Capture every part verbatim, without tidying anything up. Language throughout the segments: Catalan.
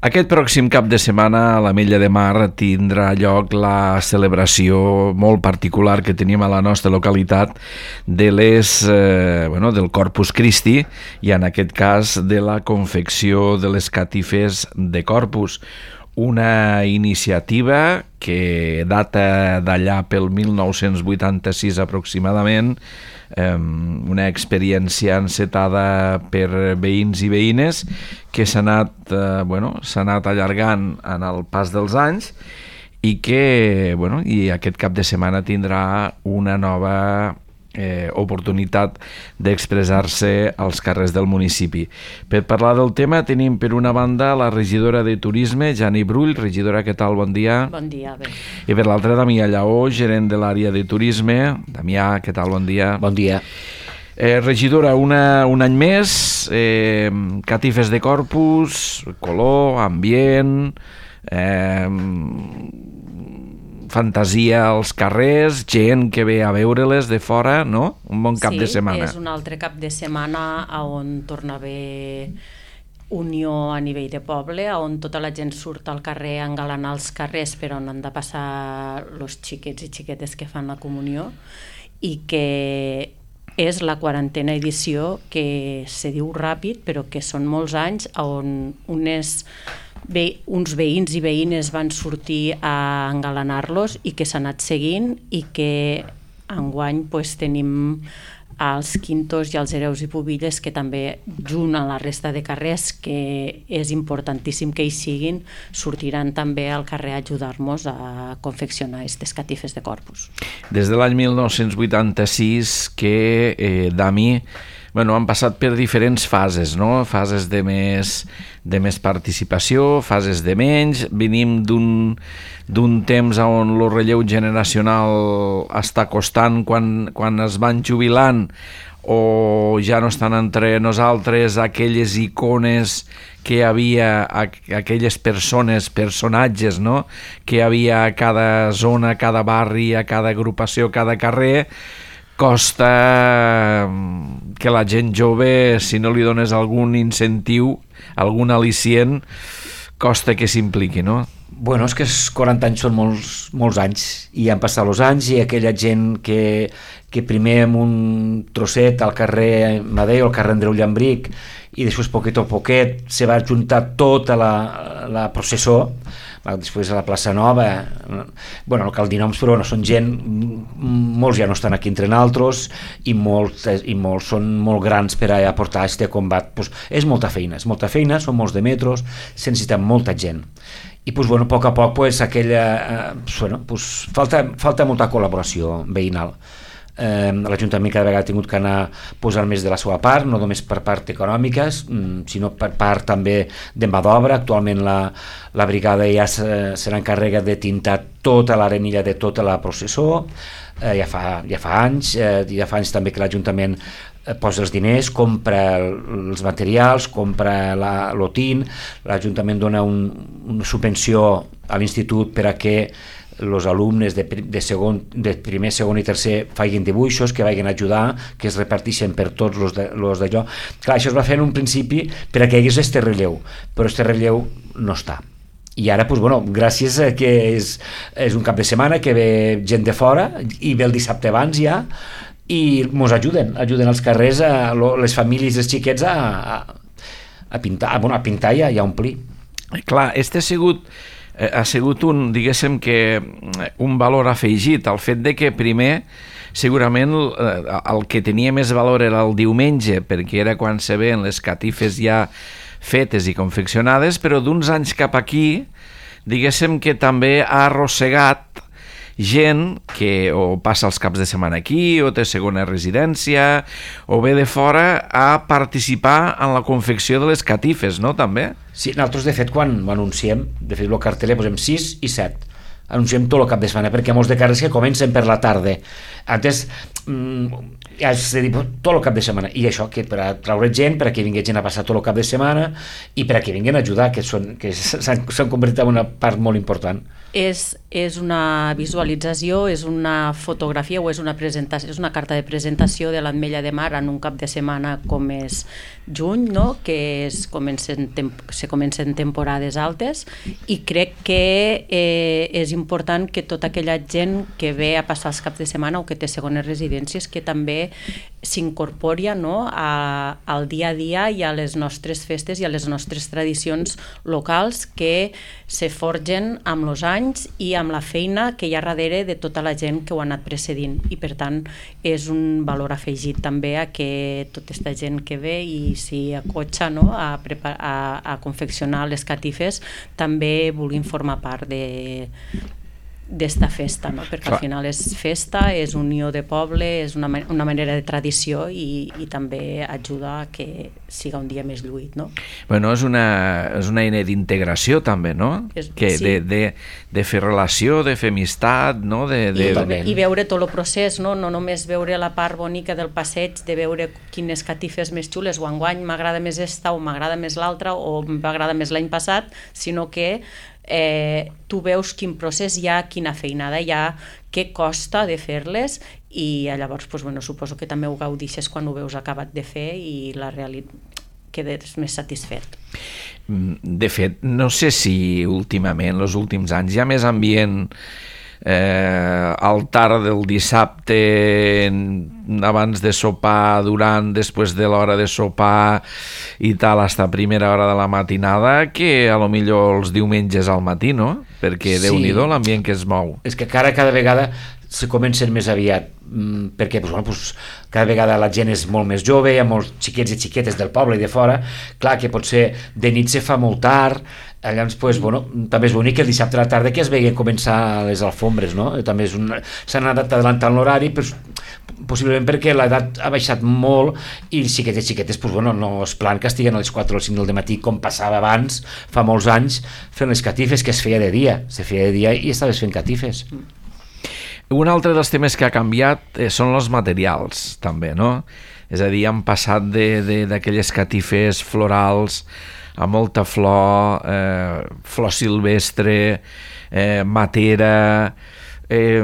Aquest pròxim cap de setmana a l'Ametlla de Mar tindrà lloc la celebració molt particular que tenim a la nostra localitat de les, eh, bueno, del Corpus Christi i en aquest cas de la confecció de les catifes de Corpus. Una iniciativa que data d'allà pel mil nou-cents vuitanta-sis aproximadament, eh, una experiència encetada per veïns i veïnes que s'ha anat, eh, bueno, s'ha anat allargant en el pas dels anys i que, bueno, i aquest cap de setmana tindrà una nova Eh, oportunitat d'expressar-se als carrers del municipi. Per parlar del tema tenim per una banda la regidora de Turisme, Jani Brull. Regidora, què tal? Bon dia. Bon dia, bé. I per l'altra, Damià Lleó, gerent de l'àrea de Turisme. Damià, què tal? Bon dia. Bon dia. Eh, regidora, una, un any més, eh, catifes de Corpus, color, ambient, eh, fantasia als carrers, gent que ve a veure-les de fora, no? Un bon cap sí, de setmana. Sí, és un altre cap de setmana on torna a haver unió a nivell de poble, on tota la gent surt al carrer a engalanar els carrers per on han de passar els xiquets i xiquetes que fan la comunió, i que és la quarantena edició, que se diu ràpid, però que són molts anys, on unes Bé, uns veïns i veïnes van sortir a engalanar-los i que s'ha anat seguint, i que enguany pues, tenim els quintos i els hereus i pubilles que també, junt a la resta de carrers, que és importantíssim que hi siguin, sortiran també al carrer a ajudar-nos a confeccionar aquestes catifes de Corpus. Des de l'any mil nou-cents vuitanta-sis que, eh, Dami, bueno, han passat per diferents fases, no? Fases de més, de més participació, fases de menys. Venim d'un d'un temps on el relleu generacional està costant quan, quan es van jubilant o ja no estan entre nosaltres aquelles icones que hi havia, aquelles persones, personatges, no? Que hi havia a cada zona, a cada barri, a cada agrupació, a cada carrer. Costa que la gent jove, si no li dones algun incentiu, algun al·licient, costa que s'impliqui, no? Bueno, és que els quaranta anys són molts, molts anys, i han passat els anys, i aquella gent que, que primer amb un trosset al carrer Madeo, al carrer Andreu Llambric, i després poquet a poquet se va juntar tota la, la processó, després a la plaça Nova, bueno, no cal dir noms, però no, són gent, molts ja no estan aquí entre nosaltres, i molts, i molts són molt grans per a aportar aquest combat. Pues és molta feina, és molta feina, són molts de metros, se necessita molta gent. I pues, bueno, a poc a poc pues, aquella, eh, bueno, pues, falta, falta molta col·laboració veïnal. Eh, l'Ajuntament cada vegada ha tingut que anar posant més de la seva part, no només per part econòmica, sinó per part també de mà d'obra. Actualment la, la brigada ja se, se n'encarrega de tintar tota l'arenilla de tota la processó, eh, ja, fa, ja fa anys, eh, ja fa anys també que l'Ajuntament posa els diners, compra els materials, compra l'otint, l'Ajuntament dona un, una subvenció a l'institut per a que els alumnes de, de, segon, de primer, segon i tercer facin dibuixos, que vagin a ajudar, que es reparteixen per tots els d'allò. Clar, això es va fer en un principi per a que hi hagués este relleu, però este relleu no està. I ara, doncs, bueno, gràcies a que és, és un cap de setmana que ve gent de fora, i ve el dissabte abans ja, i ens ajuden, ajuden als carrers, a les famílies dels xiquets a, a, a pintar, bueno, a pintar i a, a omplir. Clar, este ha sigut ha sigut un, diguéssim que un valor afegit, el fet de que primer segurament el que tenia més valor era el diumenge, perquè era quan se veien les catifes ja fetes i confeccionades, però d'uns anys cap aquí diguéssim que també ha arrossegat gent que o passa els caps de setmana aquí, o té segona residència, o ve de fora a participar en la confecció de les catifes, no, també? Sí, nosaltres, de fet, quan ho anunciem, de fet, el carteler posem sis i set. Anunciem tot el cap de setmana, perquè hi ha molts de carrers que comencen per la tarda. Antes, ja s'ha dit tot el cap de setmana, i això, que per a traure gent, per a que vingui gent a passar tot el cap de setmana, i per a que vinguin a ajudar, que s'han convertit en una part molt important. És, és una visualització, és una fotografia o és una presentació, és una carta de presentació de l'Ametlla de Mar en un cap de setmana com és juny, no? Que es comencen, se comencen temporades altes, i crec que eh, és important que tota aquella gent que ve a passar els caps de setmana o que té segones residències que també s'incorpori, no? a, al dia a dia i a les nostres festes i a les nostres tradicions locals que se forgen amb els anys i amb la feina que hi ha darrere de tota la gent que ho ha anat precedint, i per tant és un valor afegit també a que tota aquesta gent que ve i s'hi acotxa, no? a, prepar, a, a confeccionar les catifes també vulguin formar part de d'esta festa, no? Perquè Clar. Al final és festa, és unió de poble, és una, una manera de tradició i, i també ajuda a que siga un dia més lluït, no? Bueno, és una, és una eina d'integració també, no? És, que sí. de, de, de fer relació, de fer amistat, no? De, de... I, I veure tot el procés, no? No només veure la part bonica del passeig, de veure quines catifes més xules, o enguany m'agrada més esta o m'agrada més l'altra o m'agrada més l'any passat, sinó que Eh, tu veus quin procés hi ha, quina feinada hi ha, què costa de fer-les, i llavors pues, bueno, suposo que també ho gaudixes quan ho veus acabat de fer i la realitat quedes més satisfet. De fet, no sé si últimament, els últims anys, hi ha més ambient eh, al tard del dissabte, abans de sopar, durant, després de l'hora de sopar i tal, hasta primera hora de la matinada, que a lo millor els diumenges al matí, no? Perquè sí. Déu-n'hi-do l'ambient que es mou. És que cada, cada vegada se comencen més aviat, perquè pues, bueno, pues, cada vegada la gent és molt més jove, hi ha molts xiquets i xiquetes del poble i de fora, clar que potser de nit se fa molt tard, llavors pues, bueno, també és bonic que el dissabte a la tarda que es vegi començar les alfombres, no? També s'han anat adelantant l'horari, però possiblement perquè l'edat ha baixat molt i xiquetes i xiquetes pues, bueno, no és plan que estiguen a les quatre o les cinc del matí com passava abans, fa molts anys, fent les catifes, que es feia de dia, se feia de dia i estaves fent catifes. Un altre dels temes que ha canviat eh, són els materials, també, no? És a dir, han passat d'aquelles catifes florals a molta flor, eh, flor silvestre, eh, matera... Eh,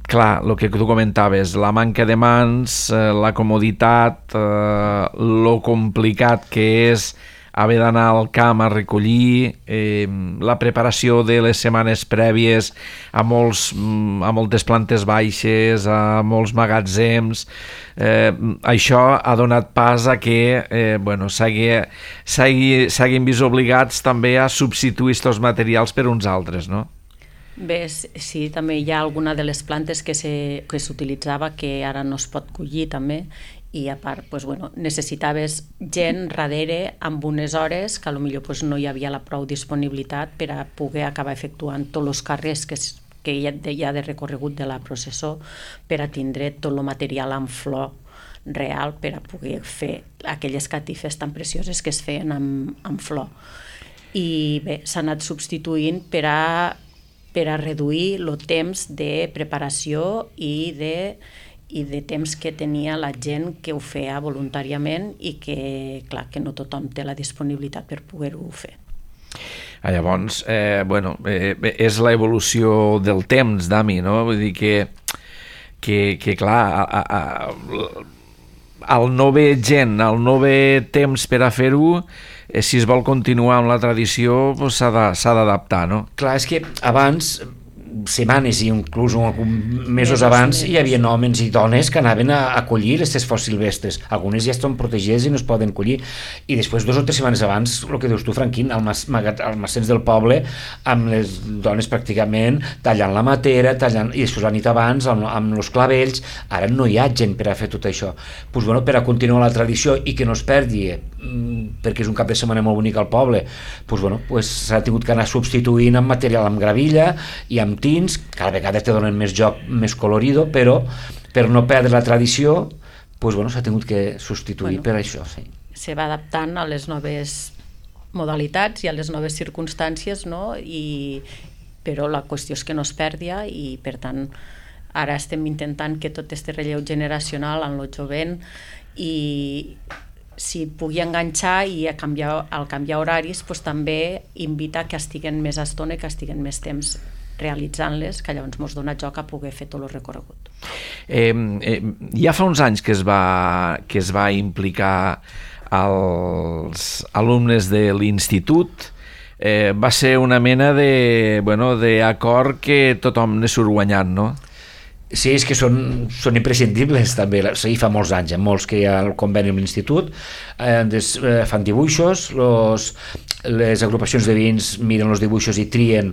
clar, el que tu comentaves, la manca de mans, eh, la comoditat, eh, lo complicat que és haver d'anar al camp a recollir, eh, la preparació de les setmanes prèvies a, molts, a moltes plantes baixes, a molts magatzems, eh, això ha donat pas a que eh, bueno, s'hagin vist obligats també a substituir aquests materials per uns altres, no? Bé, sí, també hi ha alguna de les plantes que s'utilitzava que ara no es pot collir també, i a part pues, bueno, necessitaves gent darrere amb unes hores que potser pues, no hi havia la prou disponibilitat per a poder acabar efectuant tots els carrers que, que hi, ha de, hi ha de recorregut de la processó per a tindre tot el material en flor real per a poder fer aquelles catifes tan precioses que es feien amb, amb flor. I bé, s'ha anat substituint per a, per a reduir el temps de preparació i de i de temps que tenia la gent que ho feia voluntàriament i que, clar, que no tothom té la disponibilitat per poder-ho fer. Ah, llavors, eh, bueno, eh, és l'evolució del temps, Dami, no? Vull dir que, que, que clar, a, a, al no haver gent, al no haver temps per a fer-ho, eh, si es vol continuar amb la tradició, pues, s'ha d'adaptar, no? Clar, és que abans... setmanes i inclús mesos abans hi havia homes i dones que anaven a, a collir aquestes flors silvestres. Algunes ja estan protegides i no es poden collir, i després dos o tres setmanes abans, el que dius tu, Franquín, al almacens del poble, amb les dones pràcticament tallant la matera, tallant, i després la nit abans amb, amb els clavells. Ara no hi ha gent per a fer tot això. Pues, bueno, per a continuar la tradició i que no es perdi, perquè és un cap de setmana molt bonic al poble, pues, bueno, pues, s'ha tingut que anar substituint amb material, amb gravilla i amb tins, cada vegada te donen més joc, més colorido, però per no perdre la tradició, pues, bueno, s'ha tingut que substituir, bueno, per això. Sí. Se va adaptant a les noves modalitats i a les noves circumstàncies, no? I, però la qüestió és que no es perdia i, per tant, ara estem intentant que tot este relleu generacional en el jovent i si pugui enganxar i a canviar, al canviar horaris, pues, també invita que estiguen més estona i que estiguen més temps realitzant-les, que llavors ens dona joc a poder fer tot el recorregut. Eh, eh, ja fa uns anys que es va, que es va implicar als alumnes de l'institut. Eh, va ser una mena de, bueno, d'acord que tothom ne surt guanyant, no? Sí, és que són, són imprescindibles també, sí, fa molts anys, eh? molts que hi ha el conveni amb l'institut, eh, des, eh, fan dibuixos, los, les agrupacions de veïns miren els dibuixos i trien,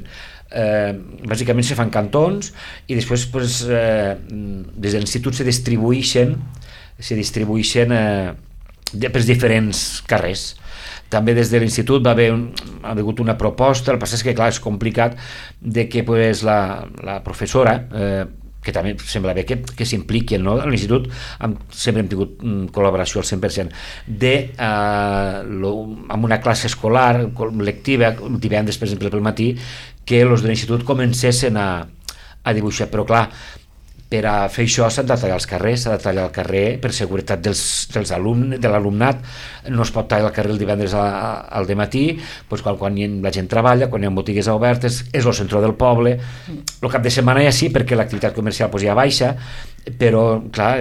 eh, bàsicament se fan cantons i després pues, eh, des de l'institut se distribueixen se distribueixen eh, per diferents carrers. També des de l'institut va haver un, ha hagut una proposta, el que passa és que clar, és complicat de que pues, la, la professora, eh, que també sembla bé que, que s'impliquen, no? A l'institut hem, sempre hem tingut mm, col·laboració al cent per cent, de, eh, lo, amb una classe escolar lectiva, divendres per exemple pel matí, que els de l'institut comencessin a, a dibuixar, però clar, per a fer això s'han de tallar els carrers, s'ha de tallar el carrer per seguretat dels, dels alumnes, de l'alumnat, no es pot tallar el carrer el divendres a, a, al dematí, doncs quan, quan la gent treballa, quan hi ha botigues obertes, és el centre del poble, el cap de setmana ja sí, perquè l'activitat comercial pues, ja baixa, però clar,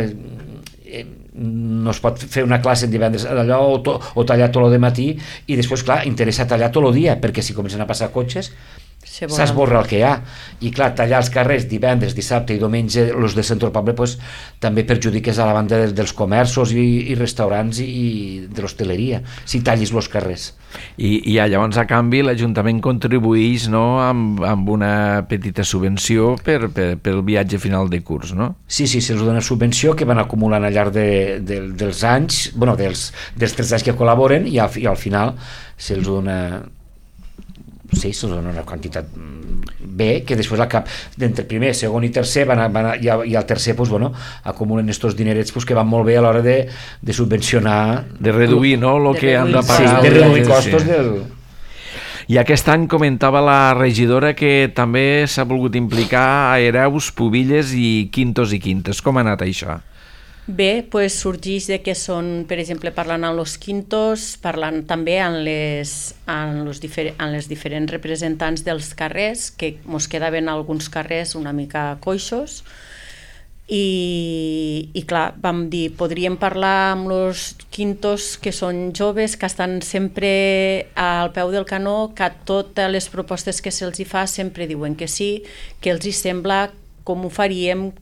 eh, no es pot fer una classe en divendres d'allò o, to, o tallar tot el dematí i després clar, interessa tallar tot el dia, perquè si comencen a passar cotxes s'esborra el que hi ha i clar, tallar els carrers divendres, dissabte i diumenge els del centre del poble pues, també perjudiques a la banda de, dels comerços i, i restaurants i, i de l'hostaleria si tallis els carrers i, i llavors a canvi l'Ajuntament contribueix no, amb, amb una petita subvenció per, per, per el viatge final de curs, no? Sí, sí, se'ls dona subvenció que van acumulant al llarg de, de, dels anys bueno, dels, dels tres anys que col·laboren i al, i al final se'ls dona sí, se'ls dona una quantitat bé, que després al cap d'entre primer, segon i tercer van a, van a, i, i al tercer pues, bueno, acumulen estos dinerets pues, que van molt bé a l'hora de, de subvencionar de reduir no, el que han de sí, pagar de reduir costos sí. del... I aquest any comentava la regidora que també s'ha volgut implicar a hereus, pubilles i quintos i quintes. Com ha anat això? Bé, pues sorgeix de que són, per exemple, parlant amb els quintos, parlant també amb les, amb los difer amb les diferents representants dels carrers, que mos quedaven alguns carrers una mica coixos, i, i clar, vam dir, podríem parlar amb els quintos que són joves, que estan sempre al peu del canó, que a totes les propostes que se'ls hi fa sempre diuen que sí, que els hi sembla com ho faríem,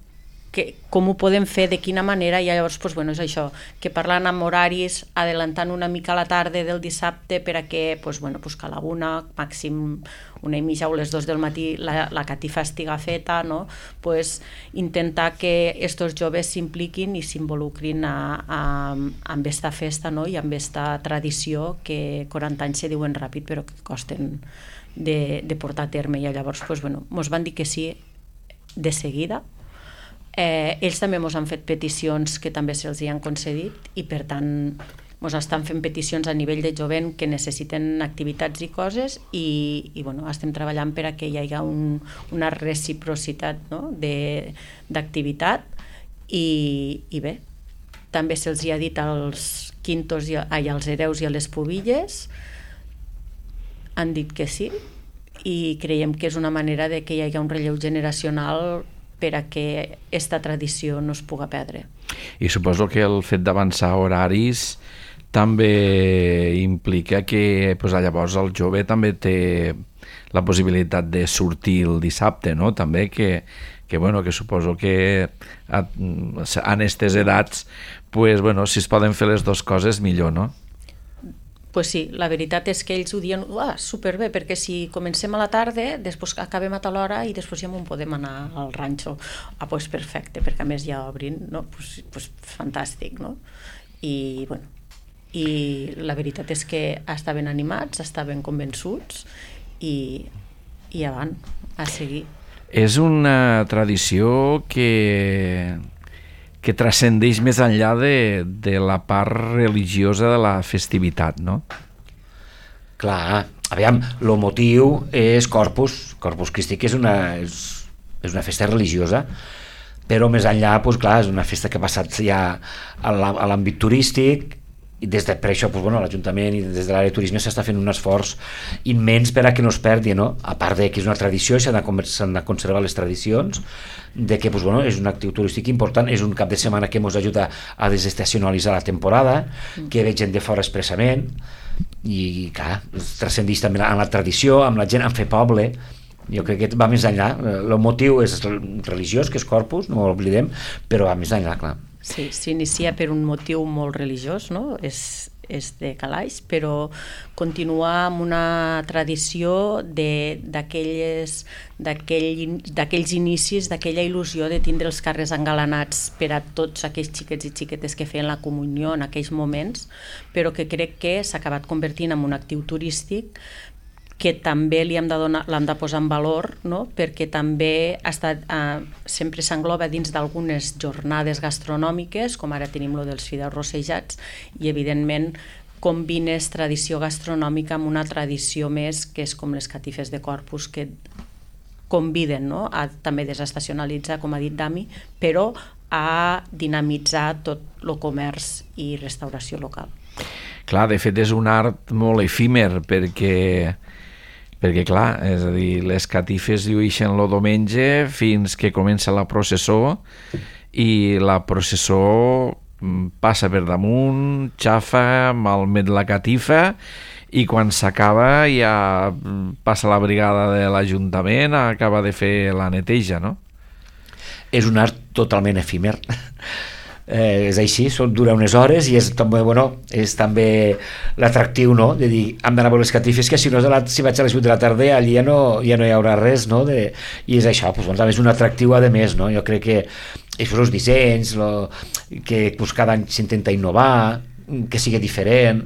que, com ho podem fer, de quina manera, i llavors pues, bueno, és això, que parlant amb horaris, adelantant una mica la tarda del dissabte per a que, pues, bueno, pues, que a la una, màxim una i mitja o les dos del matí la, la catifa estiga feta, no? Pues, intentar que estos joves s'impliquin i s'involucrin amb esta festa, no? I amb esta tradició que quaranta anys se diuen ràpid però que costen de, de portar a terme, i llavors pues, bueno, mos van dir que sí de seguida. Eh, ells també ens han fet peticions que també se'ls hi han concedit i per tant ens estan fent peticions a nivell de jovent que necessiten activitats i coses i, i bueno, estem treballant per a que hi hagi un, una reciprocitat, no? d'activitat i, i bé, també se'ls hi ha dit als quintos i ai, als hereus i a les pubilles, han dit que sí i creiem que és una manera de que hi hagi un relleu generacional per a que aquesta tradició no es puga perdre. I suposo que el fet d'avançar horaris també implica que pues, llavors el jove també té la possibilitat de sortir el dissabte, no? També que, que, bueno, que suposo que en aquestes edats pues, bueno, si es poden fer les dues coses millor, no? Pues sí, la veritat és que ells ho diuen ah, superbé, perquè si comencem a la tarda, després acabem a tal hora i després ja m'ho podem anar al ranxo. Ah, pues perfecte, perquè a més ja obrin, no? Pues, pues fantàstic, no? I, bueno, i la veritat és que estaven animats, estaven convençuts i, i avant, a seguir. És una tradició que... que transcendeix més enllà de, de la part religiosa de la festivitat, no? Clar, aviam, el motiu és Corpus, Corpus Christi, que és una, és, és una festa religiosa, però més enllà, doncs, clar, és una festa que ha passat ja a l'àmbit turístic i des de, per això pues, bueno, l'Ajuntament i des de l'àrea de turisme s'està fent un esforç immens per a que no es perdi, no? A part de que és una tradició i s'han de, s'han de conservar les tradicions, de que pues, bueno, és un actiu turístic important, és un cap de setmana que ens ajuda a desestacionalitzar la temporada, que ve gent de fora expressament, i clar, transcendeix també en la tradició, amb la gent, en fer poble. Jo crec que va més enllà. El motiu és religiós, que és Corpus, no ho oblidem, però va més enllà, clar. Sí, s'inicia per un motiu molt religiós, no? És, és de calaix, però continua amb una tradició d'aquells d'aquells inicis, d'aquella il·lusió de tindre els carrers engalanats per a tots aquells xiquets i xiquetes que feien la comunió en aquells moments, però que crec que s'ha acabat convertint en un actiu turístic que també li hem de, donar, l'hem de posar en valor, no? Perquè també ha estat, eh, sempre s'engloba dins d'algunes jornades gastronòmiques, com ara tenim lo dels fideus rossejats, i evidentment combines tradició gastronòmica amb una tradició més, que és com les catifes de Corpus, que conviden, no? A també desestacionalitzar, com ha dit Dami, però a dinamitzar tot el comerç i restauració local. Clar, de fet és un art molt efímer, perquè perquè clar, és a dir, les catifes lluïxen el diumenge fins que comença la processó i la processó passa per damunt, xafa, malmet la catifa i quan s'acaba ja passa la brigada de l'Ajuntament, acaba de fer la neteja, no? És un art totalment efímer. Eh, és així, són, dura unes hores i és també, bueno, és també l'atractiu, no? De dir, hem d'anar a veure les catifes, que si no, si vaig a les vuit de la tarda allí ja no, ja no hi haurà res, no? De, i és això, pues, doncs, és un atractiu a més, no? Jo crec que això, els dissenys, lo, que pues, cada any s'intenta innovar, que sigui diferent,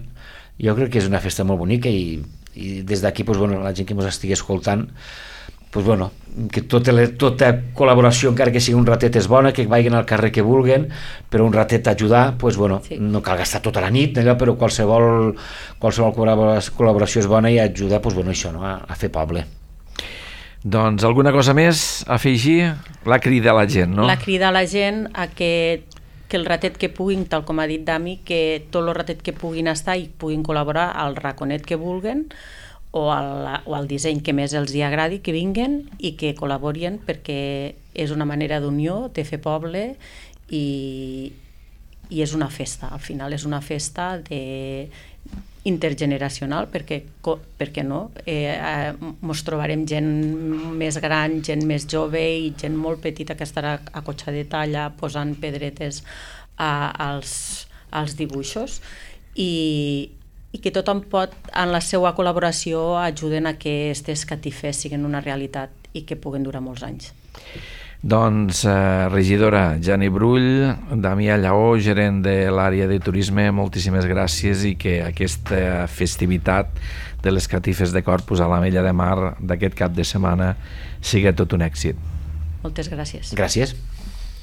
jo crec que és una festa molt bonica i, i des d'aquí, pues, bueno, la gent que ens estigui escoltant, pues, bueno, que tota, tota col·laboració, encara que sigui un ratet, és bona, que vagin al carrer que vulguen, però un ratet ajudar, pues, bueno, sí. No cal gastar tota la nit, allò, però qualsevol, qualsevol col·laboració és bona i ajuda, pues, bueno, això, no? a, a fer poble. Doncs alguna cosa més a afegir? La crida a la gent, no? La crida a la gent a que, que el ratet que puguin, tal com ha dit Dami, que tot el ratet que puguin estar i puguin col·laborar al raconet que vulguen, o al, o al disseny que més els hi agradi, que vinguen i que col·laborin, perquè és una manera d'unió, de fer poble i, i és una festa, al final és una festa de, intergeneracional, perquè, perquè no? Eh, eh, mos trobarem gent més gran, gent més jove i gent molt petita que estarà acotxadeta allà posant pedretes a, als, als dibuixos i i que tothom pot, en la seva col·laboració, ajuden a que aquestes catifes siguin una realitat i que puguen durar molts anys. Doncs, eh, regidora Jani Brull, Damià Lleó, gerent de l'àrea de turisme, moltíssimes gràcies i que aquesta festivitat de les catifes de Corpus a l'Ametlla de Mar d'aquest cap de setmana sigui tot un èxit. Moltes gràcies. Gràcies.